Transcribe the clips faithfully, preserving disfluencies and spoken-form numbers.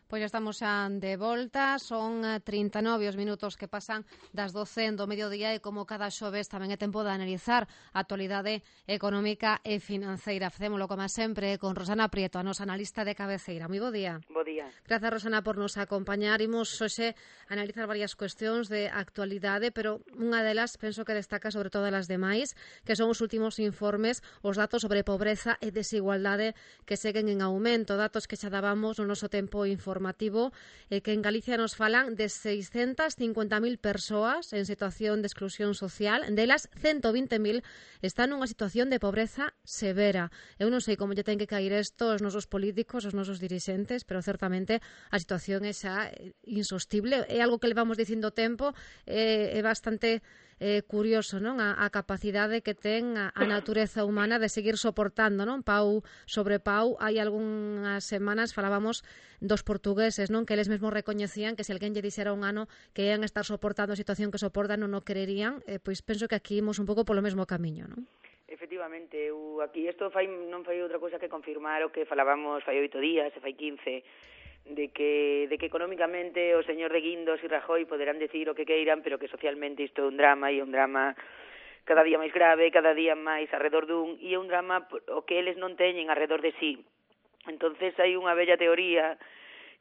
Pois estamos xa de volta, son trinta e nove os minutos que pasan das doce do mediodía e como cada xoves tamén é tempo de analizar a actualidade económica e financeira. Facémolo como sempre con Rosana Prieto, a nosa analista de cabeceira. Moi bo día. Bo día. Grazas, Rosana, por nos acompañar. Imos hoxe analizar varias cuestións de actualidade, pero unha delas penso que destaca sobre todas as demais, que son os últimos informes, os datos sobre pobreza e desigualdade que seguen en aumento, datos que xa dábamos no noso tempo informativo, e que en Galicia nos falan de seiscentas cincuenta mil persoas en situación de exclusión social, delas ciento vinte mil están nunha situación de pobreza severa. Eu non sei como lle ten que caer isto aos nosos políticos, aos nosos dirixentes, pero certamente a situación é xa insostible. É algo que levamos dicindo tempo, é, é bastante eh, curioso, non? A, a capacidade que ten a, a natureza humana de seguir soportando, non? Pau sobre pau. Hai algunhas semanas falábamos dos portugueses, non? Que eles mesmos recoñecían que se alguén lle dixera un ano que ian estar soportando a situación que soportan non o creerían. Eh, pois penso que aquí imos un pouco polo mesmo camiño, non? Efectivamente, eu aquí isto fai, non fai outra cousa que confirmar o que falábamos fai oito días, e fai quince, de que, de que económicamente o señor de Guindos e Rajoy poderán decir o que queiran, pero que socialmente isto é un drama, e un drama cada día máis grave, cada día máis arredor dun, e é un drama o que eles non teñen arredor de sí. Entonces hai unha bella teoría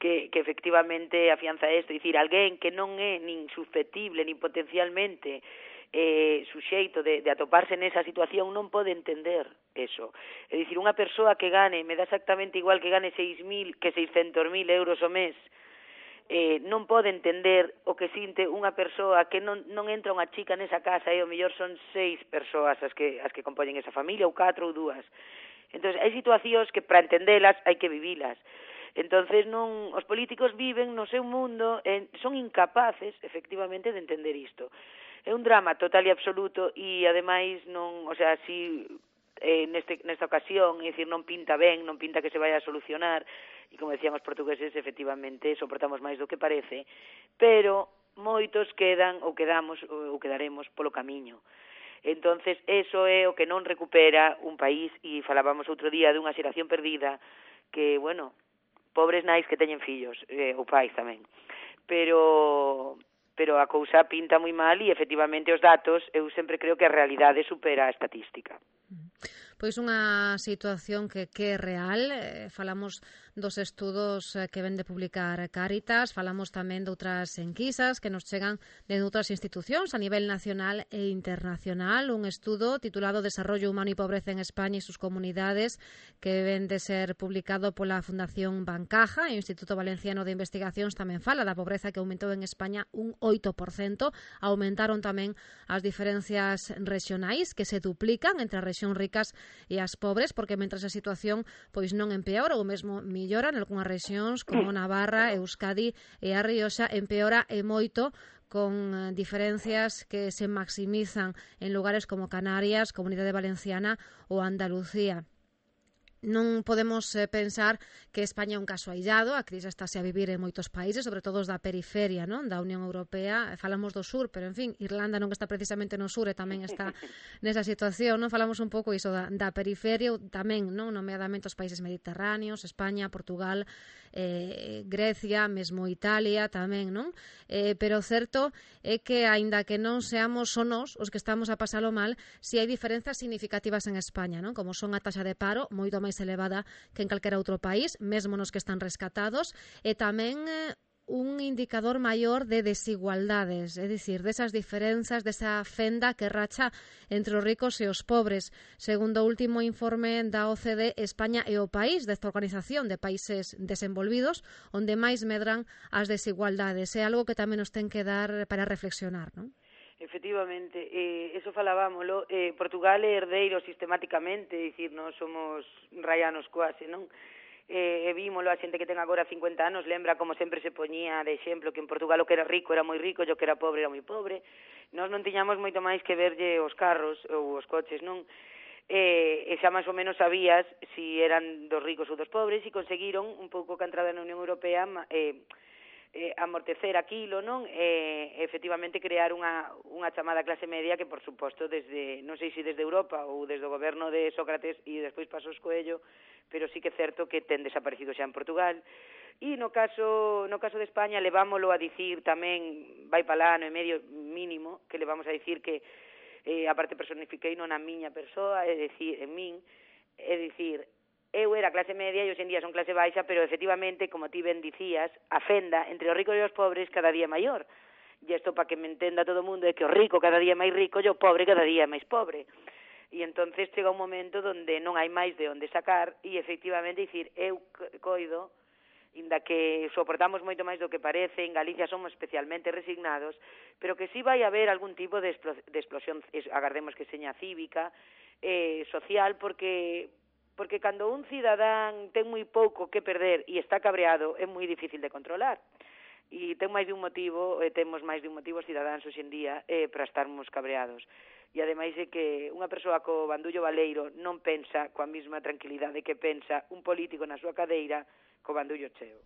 que, que efectivamente afianza isto, dicir, alguén que non é nin susceptible, nin potencialmente eh, suxeito de, de atoparse nesa situación non pode entender eso. É dicir, unha persoa que gane, me dá exactamente igual que gane seis mil que seiscentos mil euros ao mes, eh, non pode entender o que sinte unha persoa que non, non entra unha chica nesa casa e ao mellor son seis persoas as que, as que compoñen esa familia, ou catro ou dúas. Entón, hai situacións que para entendelas hai que vivilas. Entonces non, os políticos viven no seu mundo, e son incapaces, efectivamente, de entender isto. É un drama total e absoluto, e ademais non, o sea, si eh, neste, nesta ocasión, é dicir, non pinta ben, non pinta que se vai a solucionar, e como decían os portugueses, efectivamente, soportamos máis do que parece, pero moitos quedan ou quedamos ou quedaremos polo camiño. Entonces, eso é o que non recupera un país, e falábamos outro día dunha xeración perdida, que, bueno, pobres nais que teñen fillos, eh, ou pais tamén, pero pero a cousa pinta moi mal, e efectivamente os datos, eu sempre creo que a realidade supera a estatística. Pois unha situación que, que é real. Eh, falamos dos estudos que ven de publicar Cáritas, falamos tamén de outras enquisas que nos chegan de outras institucións a nivel nacional e internacional. Un estudo titulado Desarrollo Humano y Pobreza en España y sus comunidades, que ven de ser publicado pola Fundación Bancaja, e o Instituto Valenciano de Investigacións tamén fala da pobreza que aumentou en España un oito por cento. Aumentaron tamén as diferencias regionais, que se duplican entre as rexións ricas e as pobres, porque mentras a situación pois non empeora, ou mesmo millora en algunhas rexións como Navarra, Euskadi e a Rioxa, empeora e moito, con diferencias que se maximizan en lugares como Canarias, Comunidade Valenciana ou Andalucía. Non podemos eh, pensar que España é un caso aillado, a crise estáse a vivir en moitos países, sobre todo os da periferia, non, da Unión Europea. Falamos do sur, pero en fin, Irlanda non está precisamente no sur e tamén está nesa situación, non? Falamos un pouco iso da, da periferia, tamén, non, nomeadamente os países mediterráneos, España, Portugal, eh, Grecia, mesmo Italia tamén, non? Eh, pero o certo é que, aínda que non seamos só nós os que estamos a pasalo mal, si hai diferenzas significativas en España, non? Como son a taxa de paro, moito máis elevada que en calquera outro país, mesmo nos que están rescatados, e tamén eh, un indicador maior de desigualdades, é dicir, desas diferenzas, desa fenda que racha entre os ricos e os pobres. Segundo o último informe da O C D, España é o país desta organización de países desenvolvidos onde máis medran as desigualdades. É algo que tamén nos ten que dar para reflexionar, non? Efectivamente, eh, eso falábamolo, eh, Portugal é herdeiro sistemáticamente, é dicir, non somos raianos quase, non? Eh, e vímolo, a xente que ten agora cincuenta anos lembra como sempre se poñía de exemplo que en Portugal o que era rico era moi rico e o que era pobre era moi pobre. Nós non tiñamos moito máis que verlle os carros ou os coches, non? Eh, e xa máis ou menos sabías si eran dos ricos ou dos pobres, e conseguiron un pouco que a entrada na Unión Europea eh, eh, amortecer aquilo, non? E, efectivamente, crear unha, unha chamada clase media que, por suposto, desde, non sei se desde Europa ou desde o goberno de Sócrates e despois Pasos Coello, pero sí que é certo que ten desaparecido xa en Portugal. E no caso no caso de España levámolo a dicir tamén, vai para lá no medio mínimo, que le vamos a dicir que eh, a parte personifiquei non a miña persoa, é dicir, en min, é dicir, eu era clase media e hoxe en día son clase baixa, pero efectivamente, como ti ben dicías, a fenda entre os ricos e os pobres cada día é maior. E isto, para que me entenda todo o mundo, é que o rico cada día é máis rico e o pobre cada día é máis pobre. E entonces chega un momento onde non hai máis de onde sacar e efectivamente dicir, eu coido, inda que soportamos moito máis do que parece, en Galicia somos especialmente resignados, pero que sí vai haber algún tipo de, explo, de explosión, agardemos que seña cívica, eh, social, porque porque cando un cidadán ten moi pouco que perder e está cabreado, é moi difícil de controlar. E ten máis de un motivo, e temos máis de un motivo os cidadáns hoxe en día eh, para estarmos cabreados. E ademais é que unha persoa co bandullo baleiro non pensa coa mesma tranquilidade que pensa un político na súa cadeira co bandullo cheo.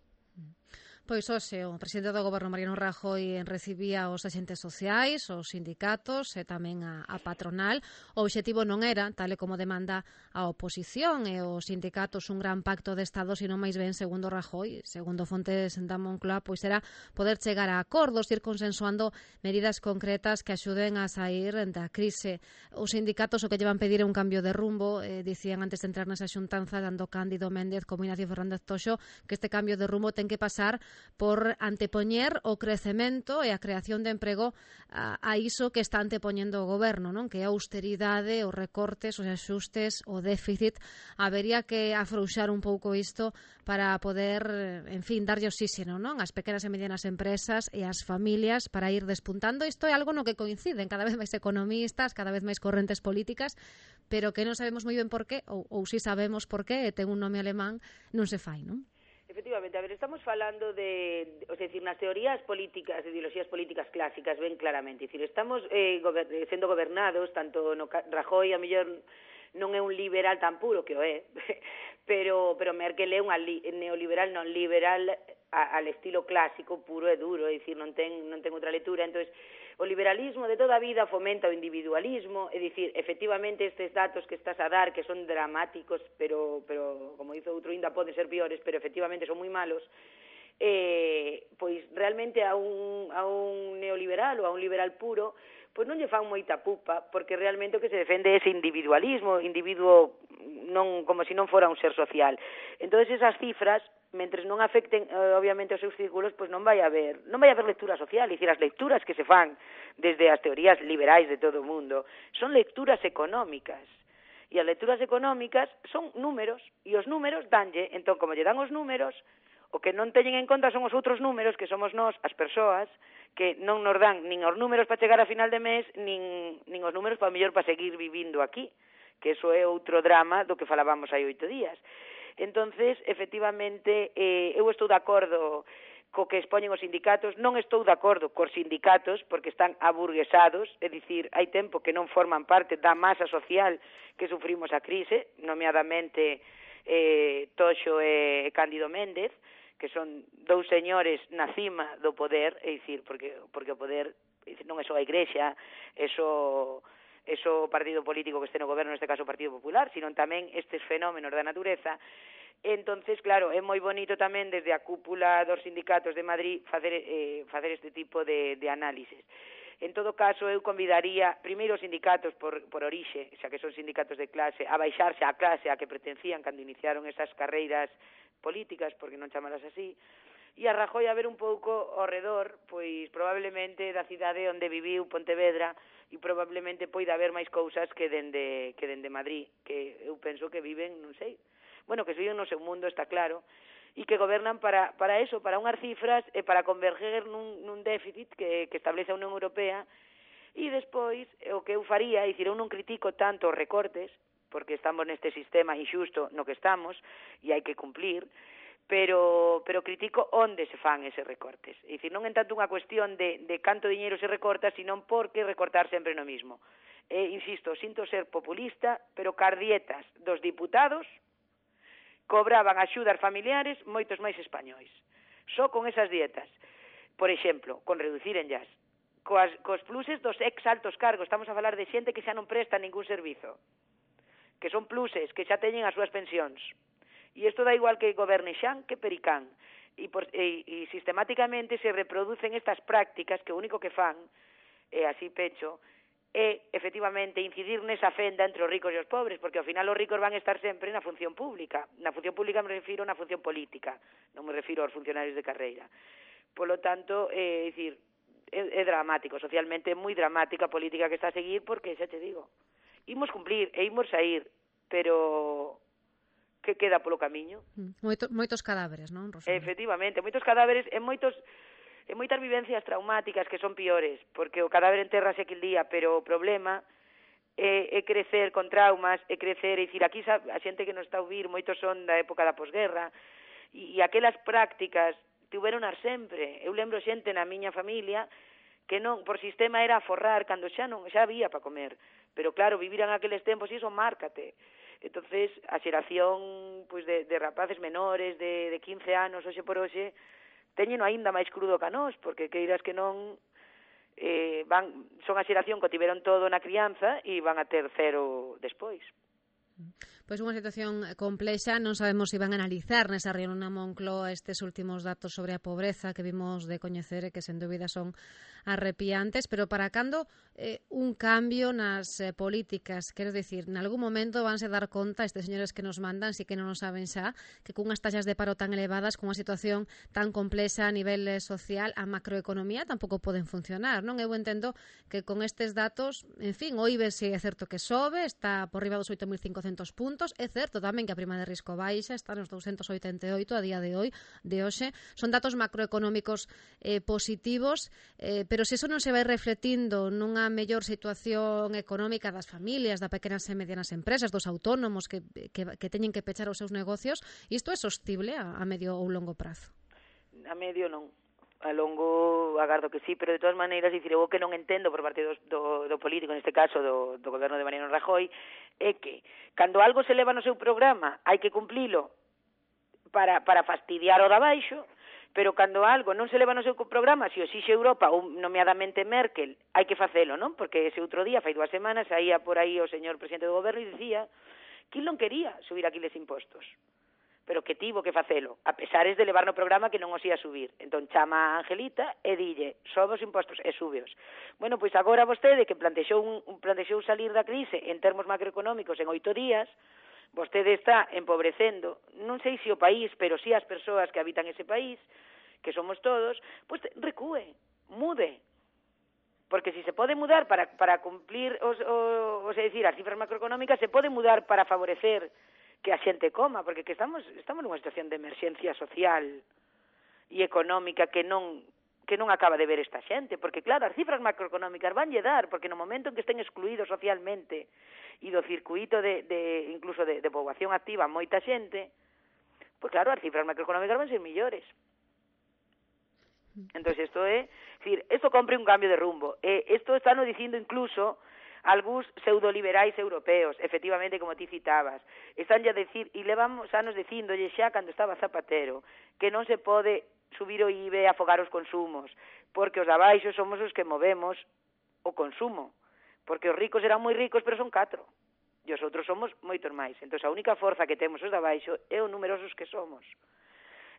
Pois hoxe o presidente do Goberno, Mariano Rajoy, recibía os axentes sociais, os sindicatos e tamén a, a patronal. O obxectivo non era, tal e como demanda a oposición e os sindicatos, un gran pacto de Estado, sino máis ben, segundo Rajoy, segundo fontes da Moncloa, pois era poder chegar a acordos, ir consensuando medidas concretas que axuden a sair da crise. Os sindicatos o que llevan pedir é un cambio de rumbo, eh, dicían antes de entrar nesa xuntanza, dando Cándido Méndez como Ignacio Fernández Toxo, que este cambio de rumbo ten que pasar por antepoñer o crecemento e a creación de emprego a, a iso que está antepoñendo o goberno, non? Que é a austeridade, os recortes, os axustes, o déficit. Habería que afrouxar un pouco isto para poder, en fin, darlle oxígeno, non? As pequenas e medianas empresas e as familias para ir despuntando. Isto é algo no que coinciden cada vez máis economistas, cada vez máis correntes políticas, pero que non sabemos moi ben por qué, ou, ou si sabemos por qué, e ten un nome alemán, non se fai, non? Efectivamente, a ver, estamos falando de, o sea, decir, nas teorías políticas, ideoloxías políticas clásicas, ben claramente, decir, estamos eh, gober, sendo gobernados, tanto no Rajoy, a mellor non é un liberal tan puro, que o é, pero, pero Merkel é unha li, neoliberal non liberal a, al estilo clásico, puro e duro, é dicir, non ten, non ten outra lectura. Entonces, o liberalismo de toda a vida fomenta o individualismo, é dicir, efectivamente estes datos que estás a dar, que son dramáticos, pero, pero como dice outro, ainda poden ser piores, pero efectivamente son moi malos, eh, pois realmente a un, a un neoliberal ou a un liberal puro, pois non lle fan moita pupa, porque realmente o que se defende é ese individualismo, individuo non como se non fora un ser social. Entón, esas cifras, mentres non afecten, eh, obviamente, os seus círculos, pois non vai haber, non vai haber lectura social, é dicir, as lecturas que se fan desde as teorías liberais de todo o mundo son lecturas económicas. E as lecturas económicas son números, e os números danlle, entón, como lle dan os números, o que non teñen en conta son os outros números, que somos nós, as persoas, que non nos dan nin os números para chegar a final de mes, nin, nin os números para mellor para seguir vivindo aquí, que eso é outro drama do que falábamos hai oito días. Entonces, efectivamente, eh, eu estou de acordo co que expoñen os sindicatos, non estou de acordo cos sindicatos porque están aburguesados, é dicir, hai tempo que non forman parte da masa social que sufrimos a crise, nomeadamente eh, Toxo e Cándido Méndez, que son dous señores na cima do poder, é dicir, porque, porque o poder dicir, non é só a Igrexa, é só eso partido político que este no goberno, neste caso o Partido Popular, sino tamén estes fenómenos da natureza. Entonces, claro, é moi bonito tamén desde a cúpula dos sindicatos de Madrid facer, eh, facer este tipo de, de análisis. En todo caso, eu convidaría primeiro os sindicatos por, por orixe, xa que son sindicatos de clase, a baixarse á clase a que pertencían cando iniciaron esas carreiras políticas, porque non chamalas así, e a Rajoy a ver un pouco ao redor, pois probablemente da cidade onde viviu Pontevedra, e probablemente poida haber máis cousas que dende, que dende Madrid, que eu penso que viven, non sei, bueno, que viven no seu mundo, está claro, e que gobernan para, para eso, para unhas cifras e para converger nun, nun déficit que, que establece a Unión Europea, e despois o que eu faría, é dicir, eu non critico tanto os recortes, porque estamos neste sistema injusto no que estamos, e hai que cumplir, pero pero critico onde se fan eses recortes. É dicir, non en tanto unha cuestión de, de canto diñeiro se recorta, sino por que recortar sempre no mismo. E, insisto, sinto ser populista, pero cardietas dos diputados cobraban axudas familiares moitos máis españois. Só con esas dietas. Por exemplo, con reducir en jazz. Coas, cos pluses dos ex altos cargos. Estamos a falar de xente que xa non presta ningún servizo. Que son pluses, que xa teñen as súas pensións. E isto dá igual que goberne Xan que Pericán. e, por, e, e sistemáticamente se reproducen estas prácticas que o único que fan, e así pecho, é, efectivamente, incidir nesa fenda entre os ricos e os pobres, porque ao final os ricos van estar sempre na función pública. Na función pública me refiro na función política, non me refiro aos funcionarios de carreira. Polo tanto, é eh, dicir, é, é dramático, socialmente é moi dramática a política que está a seguir, porque, xa te digo, imos cumplir e imos sair, pero que queda polo camiño? Moito, moitos cadáveres, non, Rosalía? Efectivamente, moitos cadáveres e moitos e moitas vivencias traumáticas que son piores, porque o cadáver enterrase aquel día, pero o problema é, é crecer con traumas, é crecer, é dicir, aquí a xente que nos está a ouvir, moitos son da época da posguerra, e, e aquelas prácticas tuveronas sempre. Eu lembro xente na miña familia que non, por sistema era aforrar cando xa non, xa había para comer, pero claro, viviran aqueles tempos e iso márcate. Entonces, a xeración pois, de, de rapaces menores de, de quince anos, hoxe por hoxe, teñeno aínda máis crudo que a nós, porque queiras que non, eh, van, son a xeración que tiveron todo na crianza e van a ter cero despois. Pois unha situación complexa, non sabemos se van a analizar nesa reunión na Moncloa estes últimos datos sobre a pobreza que vimos de coñecer e que sen dúbida son arrepiantes, pero para cando eh, un cambio nas eh, políticas, quero dicir, en algún momento vanse dar conta estes señores que nos mandan, si que non o saben xa, que cunhas taxas de paro tan elevadas, cunha situación tan complexa a nivel eh, social, a macroeconomía tampouco poden funcionar, non? Eu entendo que con estes datos, en fin, o I B E S é certo que sobe, está por riba dos oito mil cincocentos puntos. É certo tamén que a prima de risco baixa, está nos douscentos oitenta e oito a día de hoy, de hoxe. Son datos macroeconómicos eh, positivos, eh, pero se eso non se vai refletindo nunha mellor situación económica das familias, das pequenas e medianas empresas, dos autónomos que, que, que teñen que pechar os seus negocios, isto é sostible a, a medio ou longo prazo? A medio non. A longo agardo que sí, pero de todas maneiras, dicir, eu que non entendo por parte do, do, do político, neste caso do, do goberno de Mariano Rajoy, é que cando algo se leva no seu programa hai que cumplilo para, para fastidiar o da baixo, pero cando algo non se leva no seu programa, se o exixe Europa ou nomeadamente Merkel, hai que facelo, non? Porque ese outro día, fai dúas semanas, saía por aí o señor presidente do goberno e dicía que non quería subir aquiles impostos, pero que tivo que facelo, a pesares de levar no programa que non os ia subir. Entón chama a Angelita e dille, sobe os impostos e súbeos. Bueno, pois agora vostede que plantexou, un, plantexou salir da crise en termos macroeconómicos en oito días, vostede está empobrecendo, non sei se o país, pero si as persoas que habitan ese país, que somos todos, pois recúe, mude. Porque si se pode mudar para, para cumplir, os, os, os, é dicir, as cifras macroeconómicas, se pode mudar para favorecer que a xente coma, porque que estamos estamos nunha situación de emerxencia social e económica que non que non acaba de ver esta xente, porque claro, as cifras macroeconómicas vanlle dar, porque no momento en que estén excluídos socialmente e do circuito de, de incluso de, de poboación activa moita xente, pois claro, as cifras macroeconómicas van ser millores. Entonces isto é, decir, isto compre un cambio de rumbo. E isto está no dicindo incluso algúns pseudoliberais europeos, efectivamente, como ti citabas, están a decir, e levamos anos dicíndolle xa cando estaba Zapatero, que non se pode subir o I B E e afogar os consumos, porque os abaixo somos os que movemos o consumo, porque os ricos eran moi ricos, pero son catro, e os outros somos moitos máis. Entón, a única forza que temos os de abaixo é o numerosos que somos.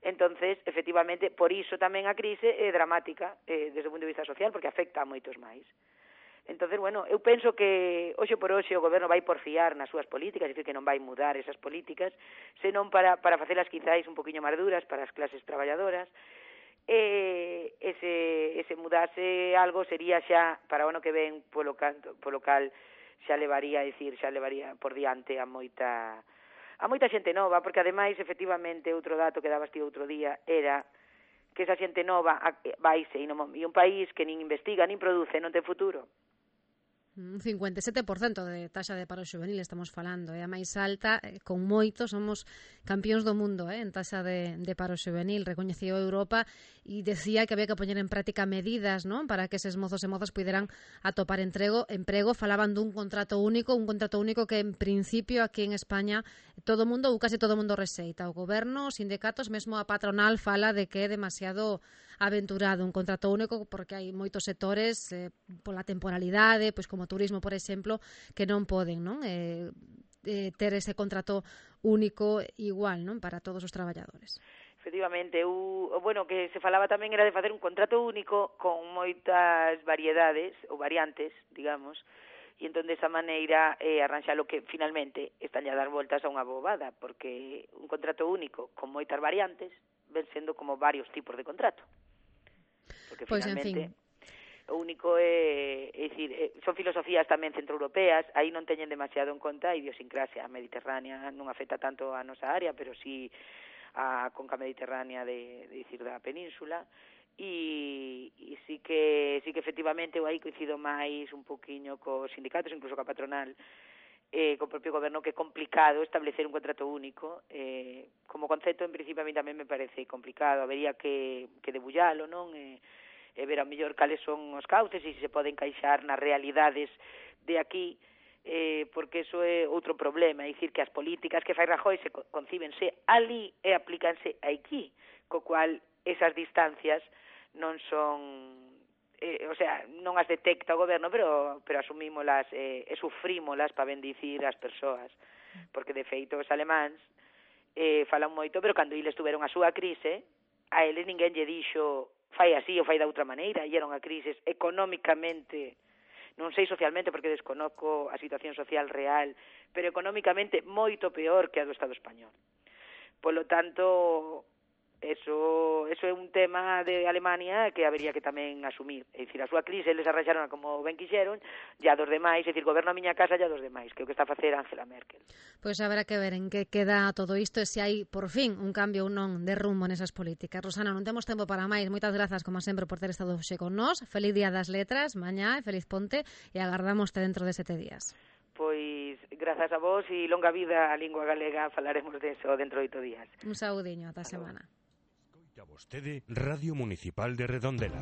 Entonces, efectivamente, por iso tamén a crise é dramática eh, desde o punto de vista social, porque afecta a moitos máis. Entonces, bueno, eu penso que hoxe por hoxe o goberno vai porfiar nas súas políticas, é dicir, que non vai mudar esas políticas, senón para, para facelas quizáis un poquinho máis duras para as clases traballadoras. E ese, ese mudase algo sería xa, para o ano que ven, polo, canto, polo cal xa levaría, é dicir, xa levaría por diante a moita, a moita xente nova, porque ademais, efectivamente, outro dato que dabas ti outro día era que esa xente nova vaise, e un país que nin investiga, nin produce, non ten futuro. Un cincuenta e sete por cento de taxa de paro xuvenil estamos falando, é a máis alta, con moito, somos campións do mundo eh, en taxa de, de paro xuvenil, recoñeceu Europa e decía que había que poñer en práctica medidas, non, para que eses mozos e mozas puderan atopar entrego, emprego, falaban dun contrato único, un contrato único que en principio aquí en España todo mundo, ou case todo mundo receita, o goberno, os sindicatos, mesmo a patronal fala de que é demasiado aventurado un contrato único porque hai moitos sectores eh, pola temporalidade, pois como turismo, por exemplo, que non poden, non? Eh, eh, ter ese contrato único igual, non? Para todos os traballadores. Efectivamente, eu, bueno, que se falaba tamén era de facer un contrato único con moitas variedades ou variantes, digamos, e entón desa maneira eh, arranxalo que finalmente están a dar voltas a unha bobada, porque un contrato único con moitas variantes ven sendo como varios tipos de contrato. Porque pois, finalmente en fin, o único é, é dicir, é, son filosofías tamén centroeuropeas, aí non teñen demasiado en conta a idiosincrasia mediterránea, non afecta tanto a nosa área, pero sí a conca mediterránea de, de dicir da península, e, e sí que sí que efectivamente eu aí coincido máis un poquinho cos sindicatos, incluso coa patronal, eh, co propio goberno, que é complicado establecer un contrato único. Eh, como concepto, en principio, a mí tamén me parece complicado, habería que, que debullalo, non? E, e ver a mellor cales son os cauces e se se pode encaixar nas realidades de aquí, eh, porque eso é outro problema, é dicir que as políticas que fai Rajoy se concíbense ali e aplícanse aquí, co cual esas distancias non son, eh, o sea, non as detecta o goberno, pero pero asumímolas eh, e sufrímolas para bendicir as persoas, porque de feito os alemáns eh, falan moito, pero cando eles tuveron a súa crise, a eles ninguén lle dixo fai así ou fai da outra maneira, e era unha crise económicamente, non sei socialmente porque desconoco a situación social real, pero económicamente moito peor que a do Estado español. Polo tanto, eso, eso é un tema de Alemania que habería que tamén asumir. É dicir, a súa crise eles arranxaron como ben quixeron, e a dos demais, é dicir, goberno a miña casa e a dos demais, que é o que está a facer Angela Merkel. Pois haberá que ver en que queda todo isto e se hai, por fin, un cambio ou non de rumbo nesas políticas. Rosana, non temos tempo para máis. Moitas grazas, como sempre, por ter estado hoxe con nós. Feliz Día das Letras, mañá, e feliz ponte, e agardámoste dentro de sete días. Pois, grazas a vos e longa vida a lingua galega, falaremos deso dentro de oito días. Un saudiño, ata a semana. Escoita vostede Radio Municipal de Redondela.